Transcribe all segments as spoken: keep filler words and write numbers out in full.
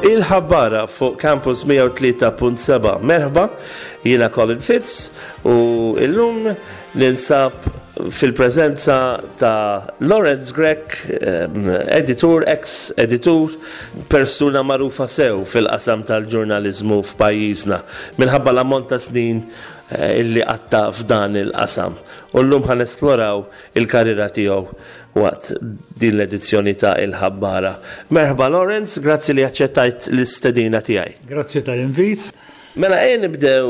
Il-Ħabbara fuq Campus mija u tlieta punt seba'. Merħba, jiena Colin Fitz u illum ninsab fil-prezenza ta' Lawrence Grech, editur, ex-editur, persuna marufa sew fil-qasam tal-ġurnalizmu f'pajjiżna, minħabba l-ammont ta' snin eh, illi qatta f'dan il-qasam. U llum ħa nesploraw il-karriera tiegħu waqt din l-edizzjoni ta' Il-Ħabbara. Merħba Lawrence, grazzi li aċċettajt l-istedina tiegħi. Grazzi tal-invit. Mela, ejja nibdew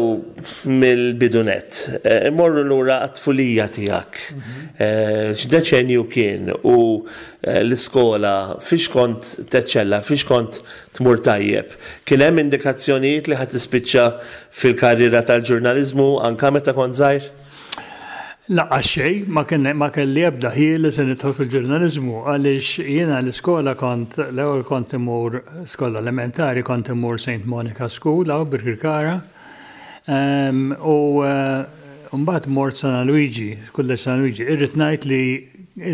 mill-bidu nett. Eh, Immorru lura għat-tfulija tiegħek. Eh, X'deċenju kien u eh, l-iskola fiex kont teċċella, fiex kont tmur tajjeb? Kien hemm indikazzjonijiet li ħa tispiċċa fil-karriera tal-ġurnaliżmu anka meta kont żgħir? Lanqas xejn, ma kien ma kelli ebda ħjiel li se nidħol fil-ġurnaliżmu, għaliex jiena l-iskola kont l-ewwel kont imur skola elementari, kont imur Saint Monica School hawn Birkirkara. Um, u uh, mbagħad mort San Luigi, Kulleġġ San Luigi. Irrid ngħid li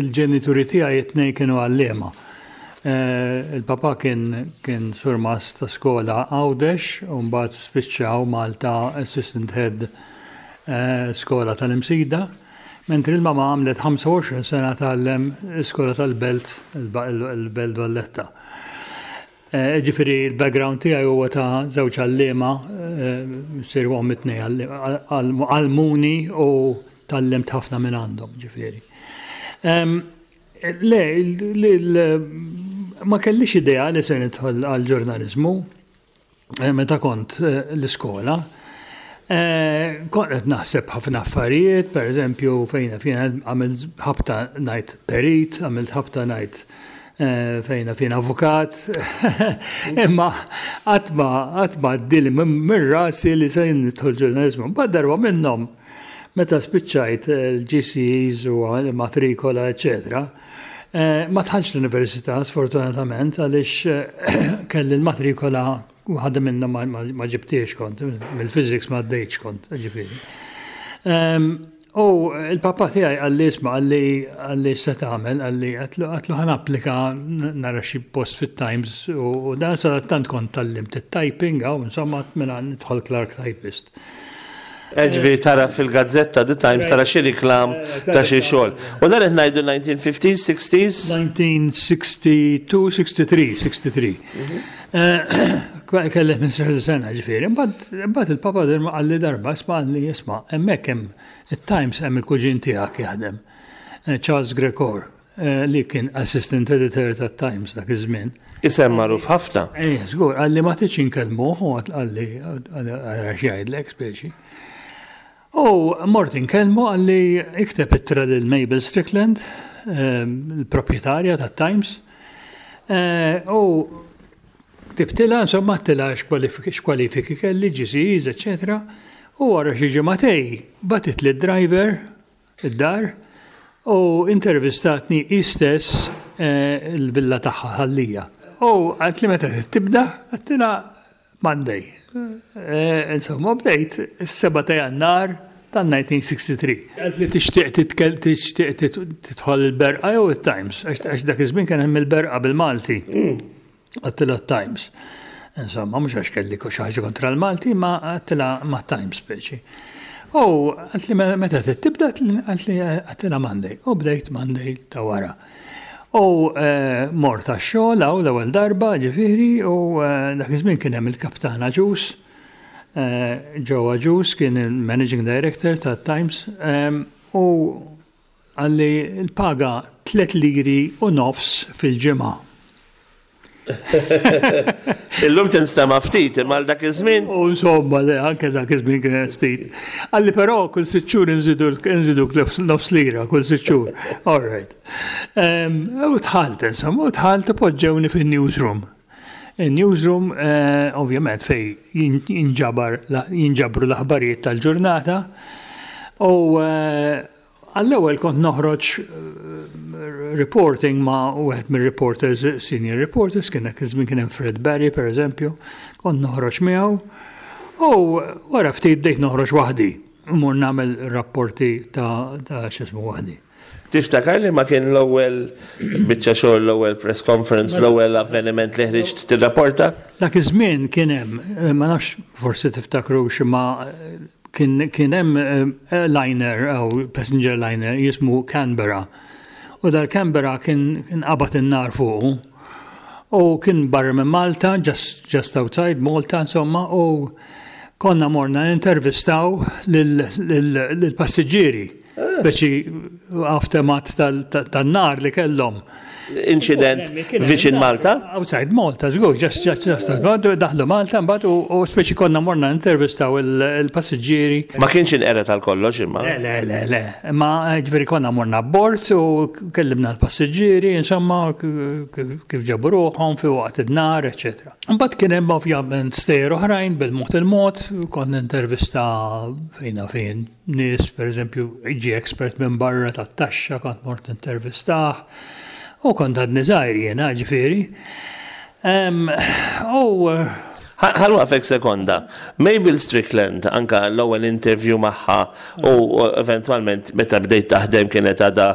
l-ġenituri tiegħi it-tnejn kienu għalliema. Uh, il-papa kien kien surmast ta' skola Għawdex u mbagħad spiċċaw Malta assistant head uh, skola tal-Imsida. Mentri il-mama għamlet ħamsa u għoxrin sena tgħallem skola tal-Belt, il-Belt Valletta. Eh, Ġifieri il-background tiegħi huwa ta' żewġ għalliema, missier u omm, it-tnejn għallmuni u tgħallimt ħafna minn għandhom, ġifieri. Le, ma kellix idea li se nidħol għal-ġurnalizmu eh, meta kont eh, l-iskola. Eh, kont qed naħseb ħafna affarijiet, per eżempju, fejna fejn għamilt ħabta ngħid perit, għamilt ħabta ngħid eh, fejna fejn avukat, imma qatt ma qatt ma għaddieli minn rasi li se nidħol ġurnalizmu. Mbagħad darba minnhom, meta spiċċajt l-G C Es u l-matrikola, eccetera, eh, ma dħaltx l-università, sfortunatament, għaliex kelli l-matrikola waħda minna ma, ma, ma ġibtiex kont, mill-physics ma għaddejtx kont, ġifieri. Um, u il-papa tiegħi qalli, "Isma'," qalli, qalli "se tagħmel?" Qalli, għedtlu ħa napplika nara xi post fit-Times u dan sadattant kont tgħallimt it-typing għaw, insomma, mela nidħol clerk typist. Ġifieri tara fil-gazzetta The Times, tara xi riklam ta' xi xogħol. U dan qed ngħidu nineteen fifties, sixties? nineteen sixty-two, sixty-three, sixty-three. Kelli ħmistax-il sena, ġifieri. Mbagħad il-papa qalli darba, "Isma'," qalli, "isma', hemmhekk hemm it-Times, hemm il-kuġin tiegħek jaħdem, Charles Grech Orr, li kien assistant editor tat-Times dak iż-żmien." Isem magħruf ħafna. Eh, żgur, qalli, "Ma tridx inkellmuh?" U qalli, "Ara x'jgħidlek," speċi. U mort inkellmu, qalli, "Ikteb ittra lil Mabel Strickland, il-proprjetarja tat-Times." U ktibtilha, insomma, għedtilha x'kwalifiki kelli, G C Es, eccetera. U wara xi ġimagħtejn bagħtitli driver id-dar u intervistatni hi stess il-villa tagħha Ħal Lija. U qaltli, "Meta tibda?" Għedtilha, "Monday." Insomma, bdejt is-seba' ta' Jannar tan-nineteen sixty-three. Qaltli, "Tixtieq tixtieq tidħol il-Berqa jew it-Times?" Għax dak iż-żmien kien hemm il-Berqa bil-Malti. Għedtilha Times. Insomma, mhux għax kelli xi ħaġa kontra l-Malti, ma għedtilha ma Times speċi. U qaltli, "Meta tibda?" Qaltli, għedtilha, "Monday." U bdejt Monday ta' wara. U mort għax-xogħol hawn l-ewwel darba, ġifieri, u dak iż-żmien kien hemm il-kaptan Agius, Joe Agius kien il-managing director ta' Times, u qalli l-paga tliet liri u nofs fil-ġimgħa. Illum tinstema' ftit, imma dak iż-żmien. U insomma, le, anke dak iż-żmien kien ftit. Qalli, "Però kull sitt xhur nżidu nżidu nofs lira kull sitt xhur." All right. U dħalt, insomma, u dħalt u poġġewni fin-newsroom. Il-newsroom, ovvjament, fej jinġabar jinġabru l-aħbarijiet tal-ġurnata. U għall-ewwel kont noħroġ reporting ma' wieħed mir-reporters, senior reporters, kien dak iż-żmien kien hemm Fred Barry, per eżempju, kont noħroġ miegħu. U wara ftit bdejt noħroġ waħdi. mmur nagħmel rapporti ta' ta' x'ismu waħdi. Tiftakar li ma kien l-ewwel biċċa xogħol, l-ewwel press conference, l-ewwel avveniment li ħriġt tirrapporta? Dak iż-żmien kien hemm, eh, ma nafx, forsi tiftakru x'ma kien kien hemm eh, liner jew passenger liner jismu Canberra. U dal-Canberra kien kien qabad in-nar fuqu. U kien barra minn Malta, just, just outside Malta, insomma, u konna morna intervistaw lill-passiġġieri. Speċi aftermath tan-nar li kellhom. Incident viċin Malta? Outside Malta, żgur, just, just, just, daħlu Malta, mbagħad u u speċi konna morna intervistaw il-passiġġieri. Ma kienx inqered għal kollox imma. Le, le, le, le. Ma ġifieri konna morna abbord u kellimna l-passiġġieri, insomma, kif ġabu ruħhom fi waqt id-nar, eċetera. Mbagħad kien hemm ovvjament stejjer oħrajn bil-mod il-mod, kont intervista fejna fejn nies, per eżempju, ġi expert minn barra tat-taxxa, kont mort intervistah. U kont għadni żgħir jiena, ġifieri. U Ħa nwaqqfek sekonda. Mabel Strickland, anka l-ewwel interview magħha u eventualment meta bdejt taħdem kienet għada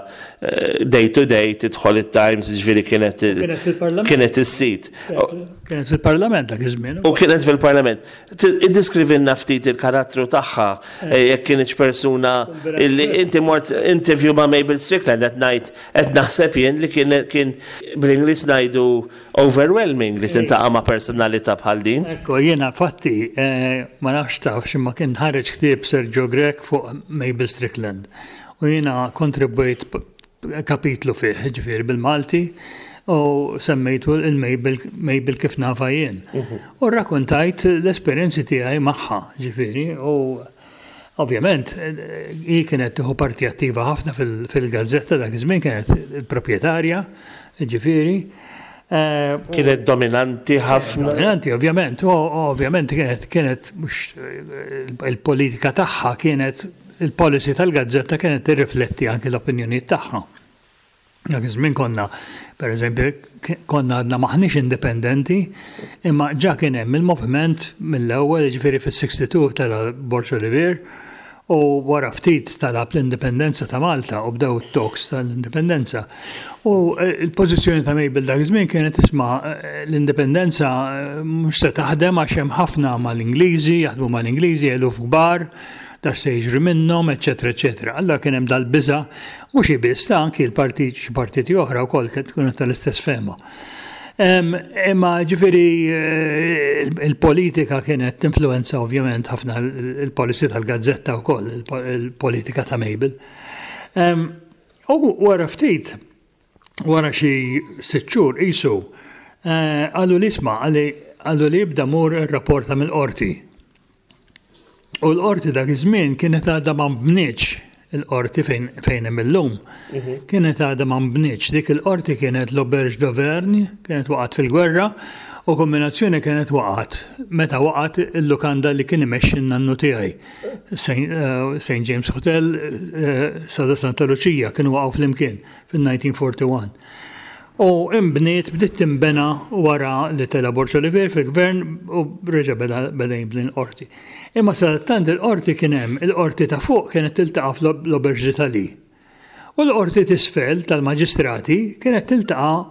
eh, day to day tidħol it-Times, ġifieri kienet Kienet fil-Parlament. Kienet is-sit. Kienet fil-Parlament dak iż-żmien. U kienet fil-Parlament. Iddeskrivilna ftit il-karattru tagħha, eh, jekk kienx persuna illi inti mort interview ma' Mabel Strickland, qed ngħid, qed naħseb jien li kien kien bl-Ingliż ngħidu overwhelming li tintaqa' ma' personalità bħal din. Ekku, jiena fatti, eh, ma nafx taf x'imma kien ħareġ ktieb Sergio Grech fuq Mabel Strickland. U jiena kontribwejt kapitlu fih, ġifieri bil-Malti, u semmejtu il-Mabel Mabel kif nafa jien. U rrakkontajt l-esperjenzi tiegħi magħha, ġifieri, u ovvjament hi kienet tieħu parti attiva ħafna fil-gazzetta dak iż-żmien, kienet il-proprjetarja, ġifieri. Eh, kienet dominanti ħafna. Dominanti, ovvjament, u ovvjament kienet kienet mhux il-politika tagħha, kienet il-policy tal-gazzetta kienet tirrifletti anke l-opinjonijiet tagħha. Dak iż-żmien konna, per eżempju, konna għadna maħniex indipendenti, imma ġa kien hemm il-moviment mill-ewwel, ġifieri fis-sixty-two tela' Borg Olivier, u wara ftit talab l-indipendenza ta' Malta u bdew it-talks tal-indipendenza. U eh, il-pożizzjoni ta' Mabel dak iż-żmien kienet, isma', eh, l-indipendenza eh, mhux se taħdem għax hemm ħafna mal-Ingliżi, jaħdmu mal-Ingliżi, eluf kbar, dak se jiġri minnhom, eċetera, eċetera. Allora kien hemm dal-biża, mhux biss ta' anki l-partit, xi partiti oħra wkoll kienu tal-istess fehma. Imma ġifieri eh, il-politika kienet tinfluenza ovvjament ħafna il-policy tal-gazzetta wkoll, il-politika ta' Mabel. U wara ftit, wara xi sitt xhur isu, eh, qallu li isma', qallu li ibda mur ir-rapporta mill-qorti. U l-qorti dak iż-żmien kienet għadha ma nbnietx, il-qorti fejn fejn hemm illum. Kienet għadha ma nbnietx. Dik il-qorti kienet l-Auberge d'Auvergne, kienet waqgħet fil-gwerra u kombinazzjoni kienet waqgħet meta waqgħet il-lukanda li kien imexxi n-nannu tiegħi. Saint James Hotel, eh, Sada Santa Lucia, kienu waqgħu flimkien fil-elf disa' mija u erbgħa u erbgħin. U imbniet, bdiet timbena wara li tela' Borg Olivier fil-gvern u reġa' beda beda jibni l-qorti. Imma sadattant il-qorti kien hemm, il-qorti ta' fuq kienet tiltaqa' fl-Auberge d'Italie. U l-qorti t'isfel tal-maġistrati kienet tiltaqa'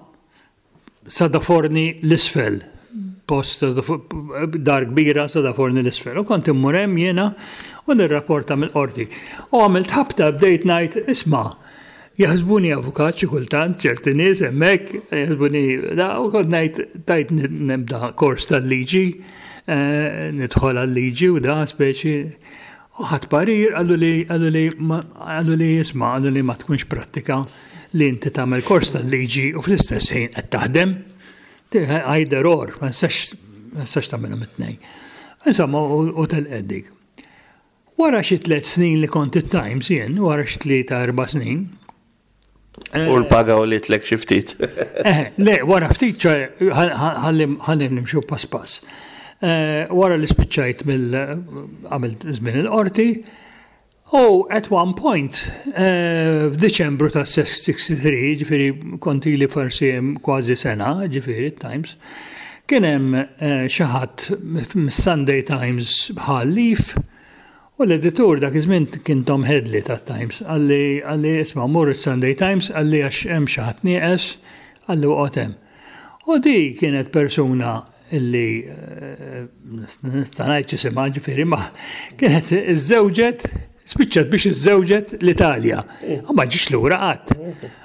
Sada Forni l-isfel. Post dar kbira Sada Forni l-isfel. U kont immur hemm jiena u nirrapporta mill-qorti. U għamilt ħabta bdejt ngħid, isma', jaħsbuni avukat xi kultant ċerti nies hemmhekk, jaħsbuni da, u kont ngħid tajt nibda kors tal-liġi, eh, nidħol għal-liġi u da speċi. U ħadt parir, qallu li qallu li qallu li isma', qallu li ma tkunx prattika li inti tagħmel kors tal-liġi u fl-istess ħin qed taħdem. Either or, ma nistax ma nistax tagħmelhom it-tnejn. Insomma, u telqet dik. Wara xi tliet snin li kont it-Times jien, wara xi tlieta erba' snin, U l-paga u li tlek xi ftit. Eh, le, wara ftit, ċe, ħalli nimxu pass pass. Eh, wara li spiċċajt mill għamilt żmien il-qorti, u at one point, eh, f'Diċembru ta' sitta u sittin, ġifieri kont ili forsi kważi sena, ġifieri Times, kien hemm xi ħadd mis-Sunday Times ħa leave U l-editur dak iż-żmien kien Tom Headley tat-Times, qalli qalli isma' mur is-Sunday Times, qalli għax hemm xi ħadd nieqes, qalli oqgħod hemm. U di kienet persuna illi eh, nista' ngħid x'isimha ġifieri ma kienet iżżewġet, spiċċat biex iżżewġet l-Italja. U ma ġiex lura qatt.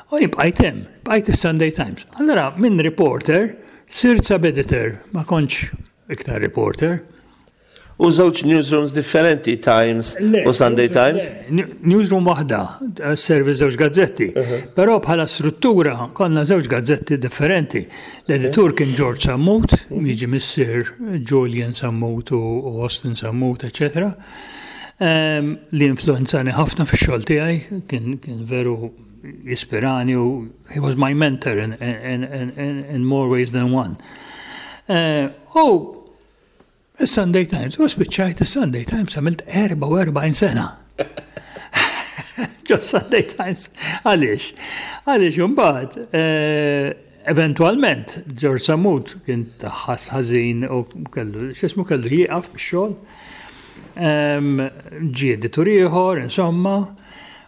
U jien bqajt hemm, bqajt is-Sunday Times. Allora minn reporter sirt sub-editor, ma kontx iktar reporter. U żewġ newsrooms differenti, Times u Sunday Times? Newsroom waħda, servi żewġ gazzetti. Però bħala struttura konna żewġ gazzetti differenti. L-editur kien George Sammut, jiġi missier Julian Sammut u Austin Sammut, eccetera. Li influenzani ħafna fix-xogħol tiegħi, kien veru jispirani u he was my mentor in, in, in, in more ways than one. U il-Sunday Times, u spiċċajt il-Sunday Times għamilt erbgħa u erbgħin sena. Ġo Sunday Times. Għaliex? Għaliex mbagħad eventualment George Sammut kien ħass ħażin u kellu x'ismu kellu jieqaf mix-xogħol. Ġie editur ieħor, insomma,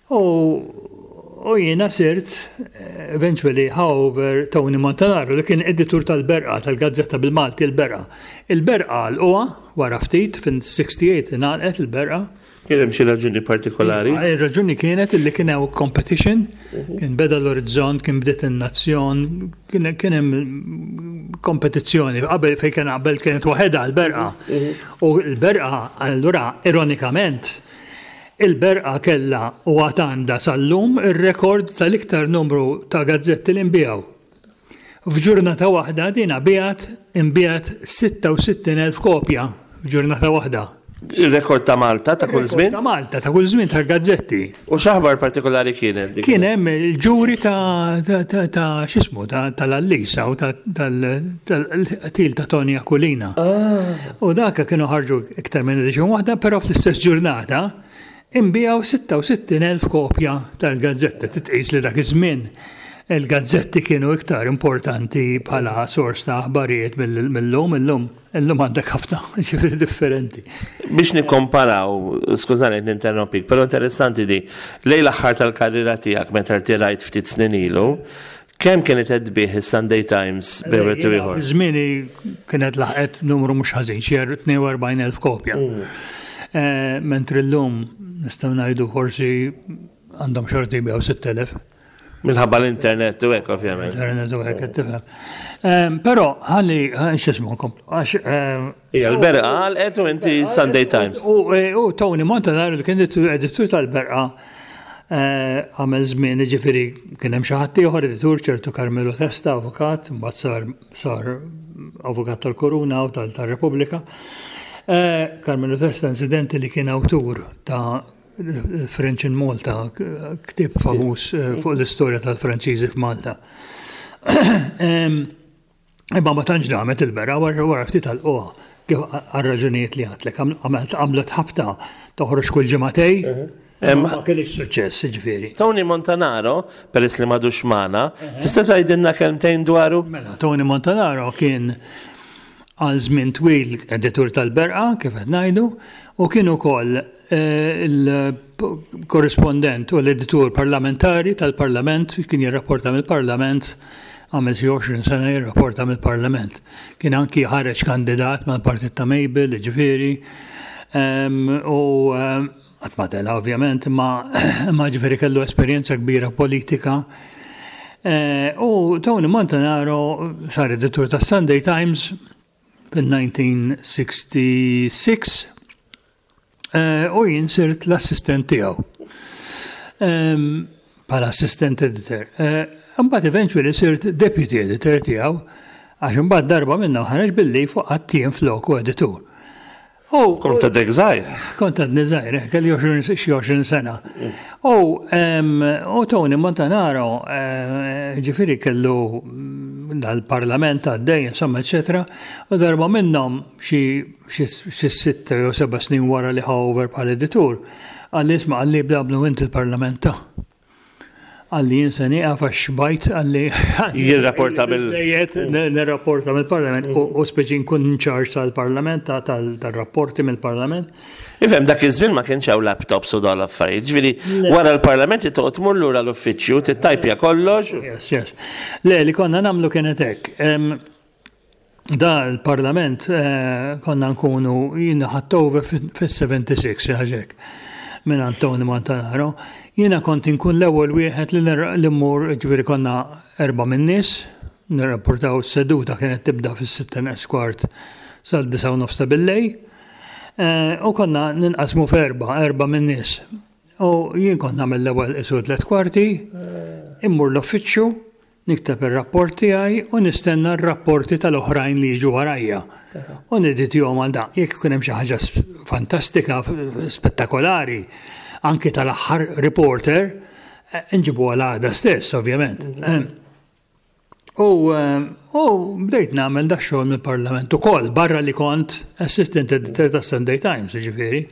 u u jiena sirt eventually however Tony Montanaro li kien editur tal-Berqa, tal-Gazzetta bil-Malti il-Berqa. Il-Berqa għalquha wara ftit fin-sitta u sittin ingħalqet il-Berqa. Kien hemm xi raġuni partikolari? Ir-raġuni kienet illi kien hemm competition, kien beda l-Orizzont, kien bdiet in-Nazzjon, kien hemm kompetizzjoni. Qabel fejn kien qabel kienet waħedha l-Berqa. U l-Berqa allura ironikament il-Berqa kella u għad għandha sal-lum ir-rekord tal-iktar numru ta' gazzetti li nbiegħu. F'ġurnata waħda dina biegħet inbiegħet sitta u sittin elf kopja f'ġurnata waħda. Il-rekord ta' Malta ta' kull żmien? Ta' Malta ta' kull żmien tal-gazzetti. U x'aħbar partikolari kienet? Kien hemm il-ġuri ta' ta' x'ismu tal-Allisa u tal-qtil ta' Tony Aquilina. U dak kienu ħarġu iktar minn edition waħda, però fl-istess ġurnata inbiegħu sitta u sittin elf kopja tal-gazzetta. Titqis li dak iż-żmien il-gazzetti kienu iktar importanti bħala sors ta' aħbarijiet mill-lum, illum, illum għandek ħafna, ġifieri differenti. Biex nikkomparaw, skużani ninterrompik, però interessanti di, lejn l-aħħar tal-karriera tiegħek meta rtirajt ftit snin ilu, kemm kienet qed tbigħ is-Sunday Times bejn wieħed u ieħor? Żmieni kienet laħqet numru mhux ħażin, xi tnejn u erbgħin elf kopja. Mentri llum nistgħu ngħidu forsi għandhom xorti jbigħu sitt elef. Minħabba l-internet u hekk ovvjament. Internet u hekk, tifhem. Però ħalli x'ismu nkomplu għax Ija, l-Berqa għalqet u inti Sunday Times. U Tony Montanaro li kien editur tal-Berqa għamel żmien, ġifieri kien hemm xi ħadd ieħor editur, ċertu Carmelo Testa, avukat, mbagħad sar sar avukat tal-Koruna u tal-Repubblika. Carmelo Testa incidentally li kien awtur ta' French in Malta, ktieb famuż fuq l-istorja tal-Franċiżi f'Malta. Imma ma tantx damet il-Berqa, wara ftit għalquha kif għal-raġunijiet li għedtlek, għamlet ħabta toħroġ kull ġimagħtejn. Ma kienx suċċess, ġifieri. Tony Montanaro, peress li m'għadux magħna, tista' tgħidilna kelmtejn dwaru? Mela, Tony Montanaro kien għal żmien twil editur tal-Berqa, kif qed ngħidu, u kien ukoll il-korrispondent u l-editur parlamentari tal-Parlament, kien jirrapporta mill-Parlament, għamel xi għoxrin sena jirrapporta mill-Parlament. Kien anki ħareġ kandidat mal-partit ta' Mabel, ġifieri, u qatt ma tela' ovvjament, imma ġifieri kellu esperjenza kbira politika. U Tony Montanaro sar editur tas Sunday Times fil-elf disa' mija u sitta u sittin u jien sirt l-assistent tiegħu. Bħala assistant editor. Mbagħad eventually sirt deputy editor tiegħu għax imbagħad darba minnhom ħareġ billi fuq għattien floku editur. Kont għadek żgħir? Kont għadni żgħir, kelli xi għoxrin sena. U u Tony Montanaro, ġifieri kellu dal-parlament għaddej, insomma, eccetera, u darba minnhom xi sitta jew seba' snin wara li ħa over bħal editur, qalli isma' qalli bla blu inti il-parlament ta'. Qalli jien se nieqaf għax xbajt qalli. Jirrapporta bil- Nirrapporta mill-parlament u u speċi nkun in charge tal-parlament, ta- tal- tal-rapporti mill-parlament. Ifhem, dak iż-żmien ma kienx hawn laptops u dawn l-affarijiet. Ġifieri wara l-parlament toqgħod tmur lura l-uffiċċju, tittajpja kollox. Yes, yes. Le, li konna nagħmlu kienet hekk. Em, Da l-parlament eh, konna nkunu jiena ħadt over fis-sebgħa u sebgħin xi ħaġa hekk minn Antoni Montanaro. Jiena kont inkun l-ewwel wieħed li nir- li mmur, ġifieri konna erba' min-nies, nirrapportaw s-seduta kienet tibda fis-sitta neqs kwart sal-disgħa u nofs ta' billejl. Eh, U konna ninqasmu f'erba', erba' min-nies. U jien kont nagħmel l-ewwel isu tliet kwarti, immur l-uffiċċju, nikteb ir-rapport tiegħi u nistenna r-rapporti tal-oħrajn li jiġu warajja. U neditjahom għal da. Jekk ikun hemm xi ħaġa s- fantastika, f- spettakolari, anki tal-aħħar reporter, eh, nġibu għal għada stess, ovvjament. Eh, U, eh, u bdejt nagħmel da xogħol mill-Parlament ukoll, barra li kont assistant editor ta' Sunday Times, ġifieri.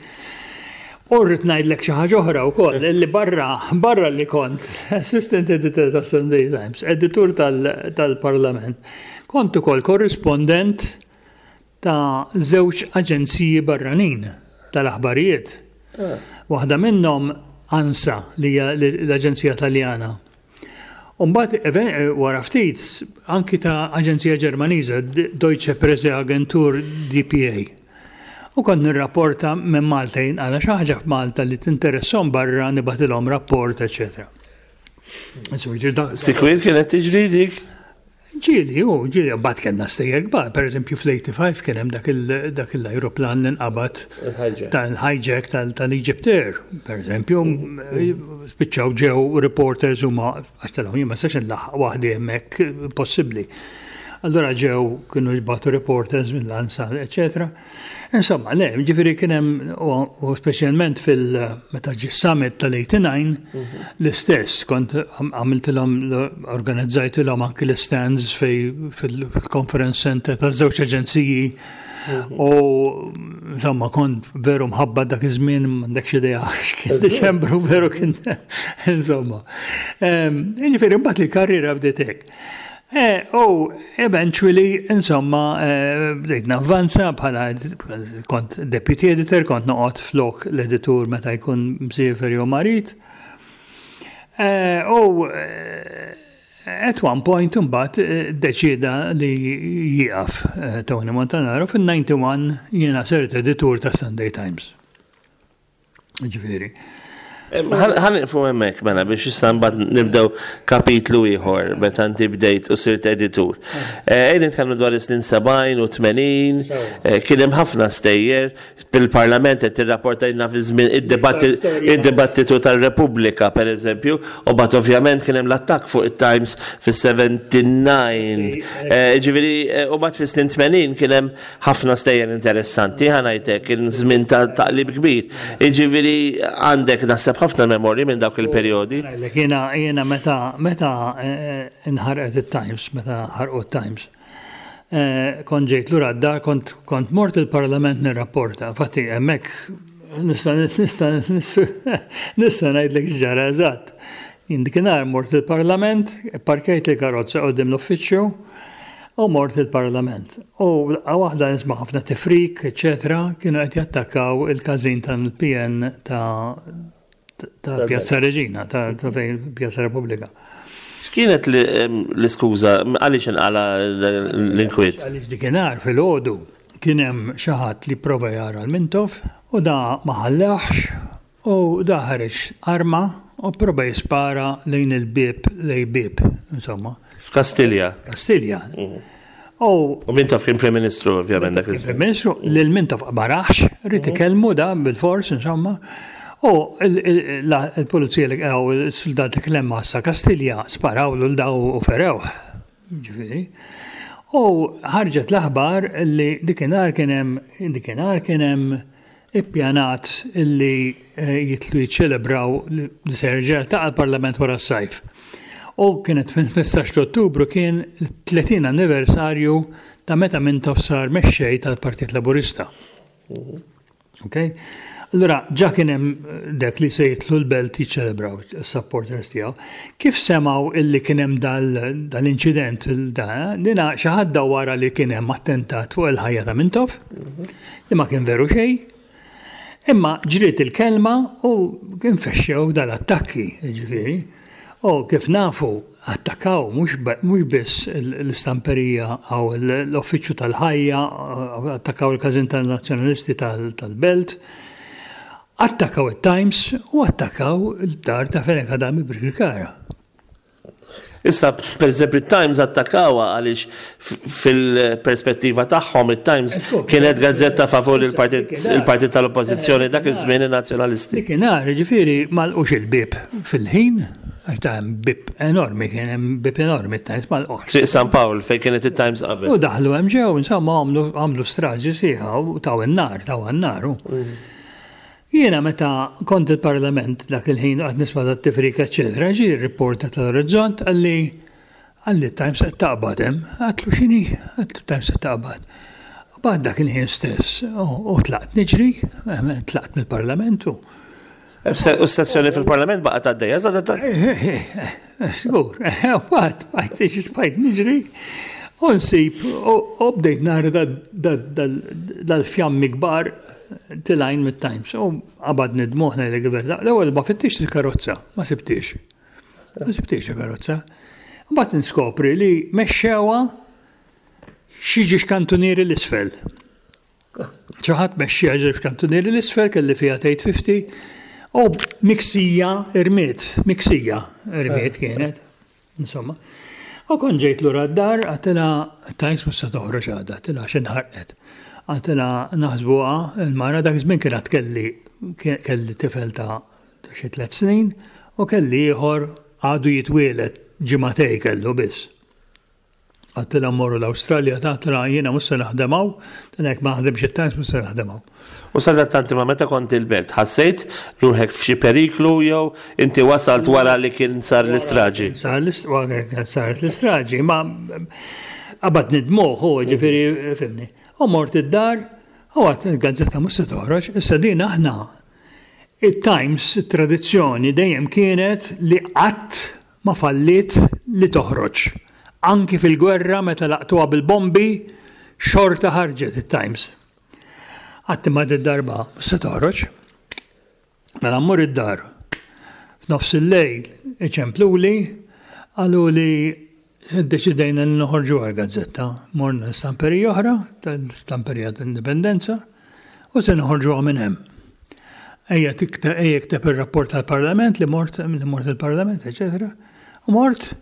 U rrid ngħidlek xi ħaġa oħra wkoll, li barra barra li kont assistant editor ta' Sunday Times, editur tal- tal-Parlament, kont ukoll korrispondent ta' żewġ aġenziji barranin tal-aħbarijiet. Waħda minnhom ANSA, li hija l-Aġenzija Taljana. Umbagħad wara ftit anki ta' Aġenzija Ġermaniża, Deutsche Presse-Agentur D P A. U kont nirrapporta minn Malta għala xi ħaġa f'Malta li tinteressom barra nibgħatilhom rapport, eċetera. Sikwit kienet tiġri dik? Ġieli, u ġieli, bat kellna stejjer kbar, per eżempju fl-ħamsa u tmenin kien hemm dak l-aeroplan li nqabad tal-hijack tal-Egypt Air, per eżempju, spiċċaw ġew reporters u ma, għax tal jien ma nistax nlaħħaq waħdi hemmhekk, possibbli. Allora ġew kienu ġbatu reporters mill-ANSA, eccetera. Insomma, le, ġifieri kien hemm, u speċjalment fil-meta ġi summit tal-tmena u tmenin, l-istess, kont għamiltilhom, organizzajtilhom anki l-stands fil-conference center ta' żewġ aġenziji. U insomma, kont veru mħabba dak iż-żmien, m'għandekx idea x'kien Diċembru veru kien insomma. Ġifieri mbagħad il-karriera bdiet hekk. Eh, u eventually, insomma, eh, bdejt navvanza bħala kont deputy editor, kont noqgħod flok l-editur meta jkun msiefer jew marid. Eh, u at one point imbagħad deċida li jieqaf Tony Montanaro. Fil-wieħed u disgħin jiena sirt editur ta' Sunday Times. Ġifieri. Ħa nieqfu hemmhekk mela biex issa mbagħad nibdew kapitlu ieħor meta inti bdejt u sirt editur. Ejja nitkellmu dwar is-snin sebgħin u tmenin, kien hemm ħafna stejjer bil-Parlament qed tirrapportajna fi żmien id-dibattitu tar-Repubblika pereżempju, u mbagħad ovvjament kien hemm l-attakk fuq it-Times fis-sebgħa u sebgħin. Ġifieri u mbagħad fis-snin tmenin kien hemm ħafna stejjer interessanti, ħa ngħidlek kien żmien ta' taqlib kbir. Ġifieri għandek naħseb ħafna memorji minn dawk il-perjodi. Jiena jiena meta meta inħarqet it-Times, meta ħarqu it-Times. Kont ġejt lura d-dar, kont kont mort il-Parlament nirrapporta. Infatti hemmhekk nista' nista' nista' ngħidlek x'ġara eżatt. Jien dakinhar mort il-Parlament, parkejt il-karozza quddiem l-uffiċċju u mort il-Parlament. U waħda nisma' ħafna tifrik, eċetera, kienu qed jattakkaw il-każin tal-P N ta' ta' Pjazza Reġina, ta' fejn Pjazza Repubblika. X'kienet l-iskuża, għaliex inqala l-inkwiet? Għaliex dakinhar fil-għodu kien hemm xi ħadd li prova jara l-Mintoff u da ma ħallewhx u da ħareġ arma u prova jispara lejn il-bib, lejn bib, insomma. F'Kastilja. Kastilja. U Mintoff kien Prim Ministru, ovvjament, dak iż Prim Ministru, lil Mintoff ma rahx, ried ikellmu da bil-fors, insomma. U il-pulizija li għaw il-soldati klemma sa Kastilja sparaw l daw u ferew. Ġifieri. U ħarġet l-aħbar li dakinhar kien hemm dakinhar kien hemm ippjanat illi jitilgħu jiċċelebraw li se jerġa' ta' l-Parlament wara s-sajf. U kienet fil-ħmistax ta' Ottubru kien tletin anniversarju ta' meta Mintoff sar mexxej tal-Partit Laburista. Ok? Allura, ġa kien hemm dak li se jitilgħu l-Belt jiċċelebraw is-supporters tiegħu. Kif semgħu illi kien hemm dal-inċident, dina xi ħadd wara li kien hemm attentat fuq il-ħajja ta' Mintoff, li ma kien veru xejn. Imma ġriet il-kelma u kien fexxew dal-attakki, ġifieri. U kif nafu, attakkaw mhux biss l-istamperija għaw l-uffiċċju tal-Ħajja, attakkaw il-każin tal-Nazzjonalisti tal-Belt, attakkaw il-Times u attakkaw il-dar ta' Fenech Adami Birkirkara. Issa, per eżempju, il-Times attakkawa għaliex fil-perspettiva tagħhom il-Times kienet gazzetta favur il-partit tal-oppożizzjoni dak iż-żmien, nazzjonalisti. Dakinhar, ġifieri, m'għalqux il-bib fil-ħin, għax ta' hemm bib enormi, kien hemm bib enormi t-Times m'għalqux. Triq San Pawl, fejn kienet il-Times qabel. U daħlu hemm ġew, insomma, għamlu straġi sħiħa u taw in-nar, taw in-nar. Jiena meta kont il-Parlament dak il-ħin għad nisma' dat-tifrika, eċetera, ġi r-reporter tal-Orizzont, qalli qalli Times qed taqbad hemm. Għedtlu: "X'inhi?" Għedtlu: "Times qed taqbad." Bad dak il-ħin stess u tlaqt niġri, tlaqt mill-Parlamentu. U s-sessjoni fil-Parlament baqgħet għaddejja, zadat. Żgur, bad, bajt, bajt niġri. U nsib, u bdejt nara dal-fjammi kbar telgħin mit-Times. U qabadni d-dmugħ li gverna. L-ewwel ma fittixt il-karozza, ma sibtix. Ma sibtix il-karozza. Mbagħad niskopri li mexxewha xi żewġ kantunieri 'l isfel. Xi ħadd mexxieha żewġ kantunieri 'l isfel, kelli Fiat eight fifty u miksija irmiet, miksija irmiet kienet. Insomma. U kon ġejt lura d-dar, għedtilha: "Times mhux se toħroġ għada," għedtilha, "xi nħarqet." Għedtilha naħsbuha il-mara, dak żmien kienet kelli kelli tifel ta' xi tliet snin u kelli ieħor għadu jitwielet, ġimagħtejn kellu biss. Għedtilha: "Mmorru l-Awstralja," għedtilha, "jiena mhux se naħdem hawn, jekk ma naħdemx it-Times mhux se naħdem hawn." U sadattanti ma meta kont il-Belt, ħassejt ruħek f'xi periklu jew inti wasalt wara li kien sar l-istraġi? Sar saret l-istraġi, ma qabadni d-dmugħ, ġifieri, fhimtni. U mort id-dar, u għedt: "Il-gazzetta mhux se toħroġ." Issa din aħna. Il-Times, tradizzjoni dejjem kienet li qatt ma fallit li toħroġ. Anki fil-gwerra meta laqtuha bil-bombi, xorta ħarġet il-Times. Għedt: "Ma darba mhux se toħroġ." Mela mmur id-dar. F'nofs il-lejl iċempluli, qaluli: "Deċidejna li noħorġu għal-gazzetta." Morna l-stamperija oħra, tal-stamperija tal-Indipendenza, u se noħorġu minn hemm. Ejja tikteb, ejja ikteb il-rapport tal-Parlament li mort, li mort il-Parlament, eċetera. U mort,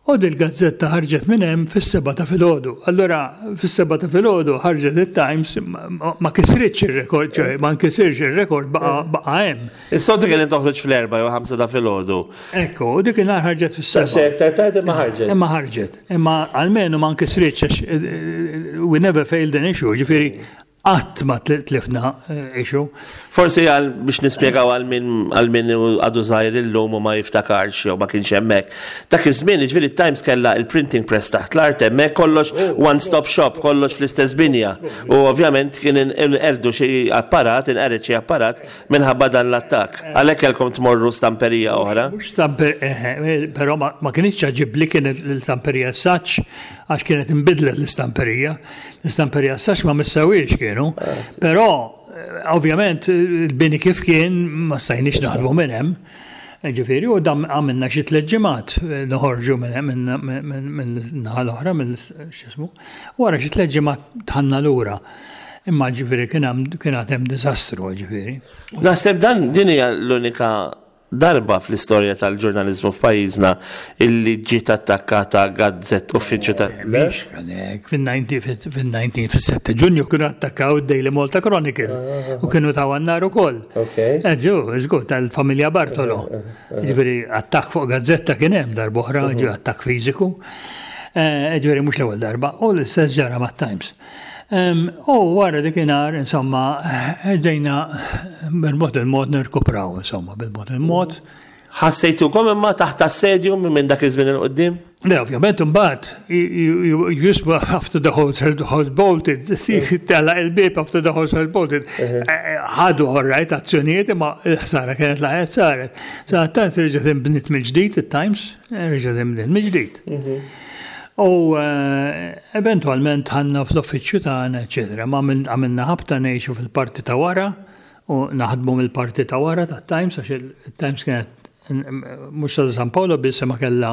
u dil-gazzetta ħarġet minn hemm fis-sebgħa ta' filgħodu. Allora fis-sebgħa ta' filgħodu ħarġet it-Times, ma kisritx ir-rekord, ċoè ma nkisirx ir-rekord, baqa' hemm. Is-soltu kien toħroġ fl-erba' jew ħamsa ta' filgħodu. Ekku, u dik il-nhar ħarġet fis-sebgħa. Aktar tard imma ħarġet. Imma ħarġet. Imma almenu ma nkisritx għax eh, we never failed an issue, ġifieri qatt ma tlifna eh, issue. Forsi għal biex nispjegaw għal min għal min għadu żgħir illum u ma jiftakarx jew ma kienx hemmhekk. Dak iż-żmien, ġifieri, Times kellha il-printing press taħt l-art hemmhekk, kollox one stop shop, kollox fl-istess binja. U ovvjament kien inqerdu xi apparat, inqered xi apparat minħabba dan l-attakk. Għalhekk kellkom tmorru stamperija oħra. Mhux stamper, eh, però ma ma kienx ġibli kienet l-istamperija Saċ, għax kienet imbidlet l-istamperija. L-istamperija Saċ ma missawiex kienu. Però, eh, ovvjament, il-bini kif kien ma stajniex naħdmu minn hemm. Ġifieri, u dam għamilna xi tliet ġimgħat eh, noħorġu minn minn naħa l-oħra, minn x'ismu. Wara xi tliet ġimgħat dħalna lura. Imma ġifieri kien hemm kien hemm diżastru, ġifieri. Naħseb dan din hija l-unika darba fl-istorja tal-ġurnalizmu f'pajjiżna illi ġiet attakkata gazzett, uffiċċju ta' Mhix għalek, fil-disgħin, fis-sette Ġunju kienu attakkaw id-Daily Malta Chronicle u kienu taw għan-nar ukoll. Okay. Eġu, żgur, tal-familja Bartolo. Ġifieri, attakk fuq gazzetta kien hemm darb'oħra, ġi attakk fiżiku. Eh, Ġifieri, mhux l-ewwel darba, u l-istess ġara mat-Times. Em, U wara dakinhar, insomma, ġejna bil-mod il-mod nirkupraw, insomma, bil-mod il-mod. Ħassejtukom imma taħt assedju minn dak iż-żmien 'il quddiem? Le, ovvjament, imbagħad, you just after the horse has bolted, telaq il-bieb after the horse has bolted. Ħadu all right azzjonijiet, imma il-ħsara kienet laħet saret. Sa tant reġgħet inbniet mill-ġdid, it-Times, reġgħet inbniet mill-ġdid. U eventualment dħalna fl-uffiċċju tagħna, eċetera. Ma għamilna ħabta ngħixu fil-parti ta' wara u naħdmu mill-parti ta' wara ta' Times, għax il-Times kienet mhux ta' San Paolo biss, ma kella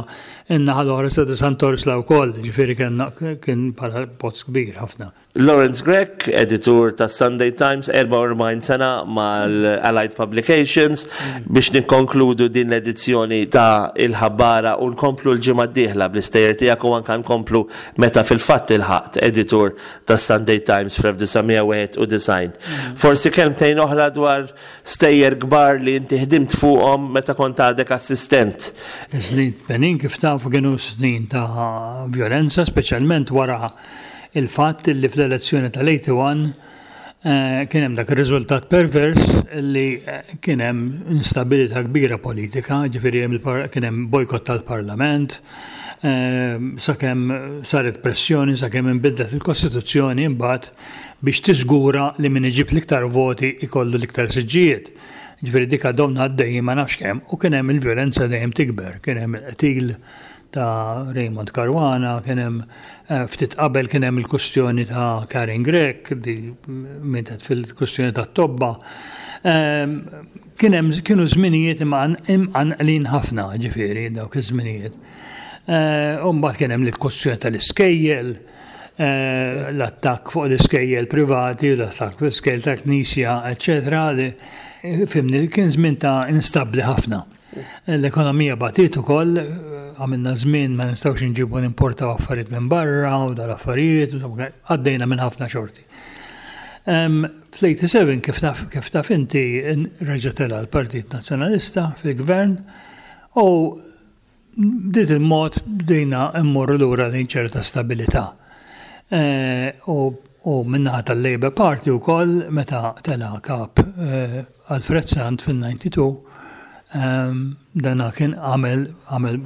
in-naħa l-oħra sa' Sant'Orsla wkoll, ġifieri kien bħala post kbir ħafna. Lawrence Grech, editur ta' Sunday Times, erbgħa u erbgħin sena mal-Allied Publications, biex nikkonkludu din l-edizzjoni ta' Il-Ħabbara u nkomplu l-ġimgħa d-dieħla bl-istejjer tiegħek u anka nkomplu meta fil-fatt ilħaqt editur ta' Sunday Times fl-elf disa' mija wieħed u disgħin. Forsi kelmtejn oħra dwar stejjer kbar li inti ħdimt fuqhom meta kont għadek assistent. Snin tmenin, kif tafu, kienu snin ta' violenza, speċjalment wara il-fatt li fl-elezzjoni tal-wieħed u tmenin kien hemm dak ir-riżultat pervers li kien hemm instabilità kbira politika, ġifieri kien hemm bojkott tal-Parlament, sakemm saret pressjoni, sakemm inbidlet il-Kostituzzjoni imbagħad biex tiżgura li min iġib l-iktar voti ikollu l-iktar siġġijiet. Ġifieri dik għadhom għaddejjin ma nafx kemm u kien hemm il-vjolenza dejjem tikber, kien hemm il-qtil ta' Raymond Caruana, kien hemm ftit qabel kien hemm il-kustjoni ta' Karin Grech, di mietet fil-kustjoni ta' Tobba. Kien hemm kienu żminijiet imqanqlin ħafna, ġifieri dawk iż-żminijiet. U mbagħad kien hemm il-kustjoni tal-iskejjel, l-attakk fuq l-iskejjel privati, l-attakk fuq l-iskejjel ta' knisja, eċetera. Fhimni, kien żmien ta' instabli ħafna. L-ekonomija batiet ukoll, għamilna żmien ma nistgħux nġibu nimportaw affarijiet minn barra u dal-affarijiet, għaddejna minn ħafna xorti. Fl-sebgħa u tmenin, kif taf, kif taf inti, reġa' tela' l-Partit Nazzjonalista fil-Gvern u b'dan il-mod bdejna immorru lura lejn ċerta stabilità. U u min-naħa tal-Labour Party ukoll, meta tela' kap Alfred Sant fil-tnejn u disgħin, dana kien għamel għamel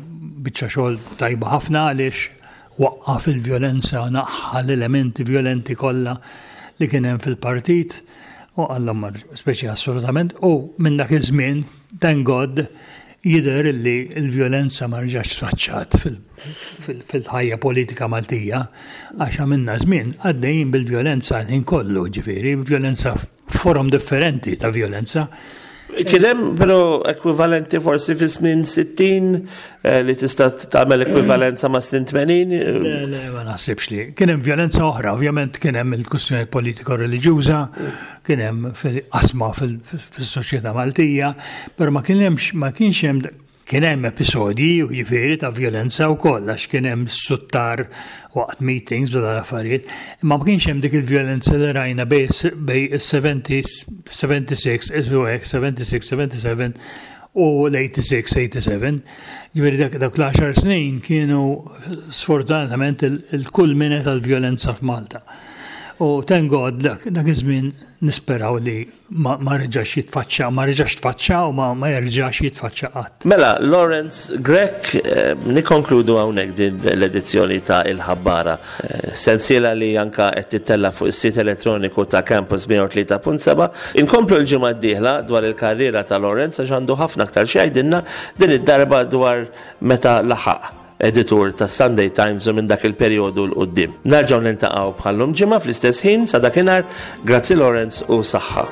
biċċa xogħol tajba ħafna għaliex waqqaf il-vjolenza, naħħa l-elementi violenti kollha li kien hemm fil-partit u għallhom speċi assolutament, u minn dak iż-żmien, thank God, jidher li l-vjolenza ma rġax tfaċċat fil-ħajja politika Maltija, għax għamilna żmien għaddejjin bil-vjolenza ħin kollu, ġifieri, vjolenza, forom differenti ta' vjolenza. Kien hemm però ekwivalenti forsi fi snin sittin li tista' tagħmel ekwivalenza ma' snin tmenin? Le, le, ma naħsibx li. Kien hemm vjolenza oħra, ovvjament kien hemm il-kwistjoni politiko-reliġjuża, kien hemm fil-qasma fis-soċjetà Maltija, però ma kien hemmx ma kienx hemm kien hemm episodji, jiġifieri, ta' vjolenza wkoll, għax kien hemm suttar waqt meetings u dal-affarijiet, imma ma kienx hemm dik il-vjolenza li rajna bejn is-sebgħa u sittax, sebgħa u sitta, sebgħa u sebgħin u l-sitta u tmenin, sebgħa u tmenin. Ġifieri dak dak l-għaxar snin kienu sfortunatament il-kulmine tal-vjolenza f'Malta. U thank God dak dak iż-żmien nisperaw li ma, ma reġax jitfaċċa, ma reġax tfaċċa u ma, ma jerġax jitfaċċa qatt. Mela, Lawrence Grech, eh, nikkonkludu hawnhekk din l-edizzjoni ta' Il-Ħabbara. Eh, sensiela li anka qed tittella fuq is-sit elettroniku ta' Campus mija u tlieta punt sebgħa. Inkomplu l-ġimgħa d-dieħla dwar il-karriera ta' Lawrence, għax għandu ħafna aktar xi jgħidilna, din id-darba dwar meta laħaq editur ta' Sunday Times u minn dak il-perjodu 'l quddiem. Nerġgħu niltaqgħu bħallum ġimgħa fl-istess ħin. Sa dakinhar, grazzi Lawrence u saħħa.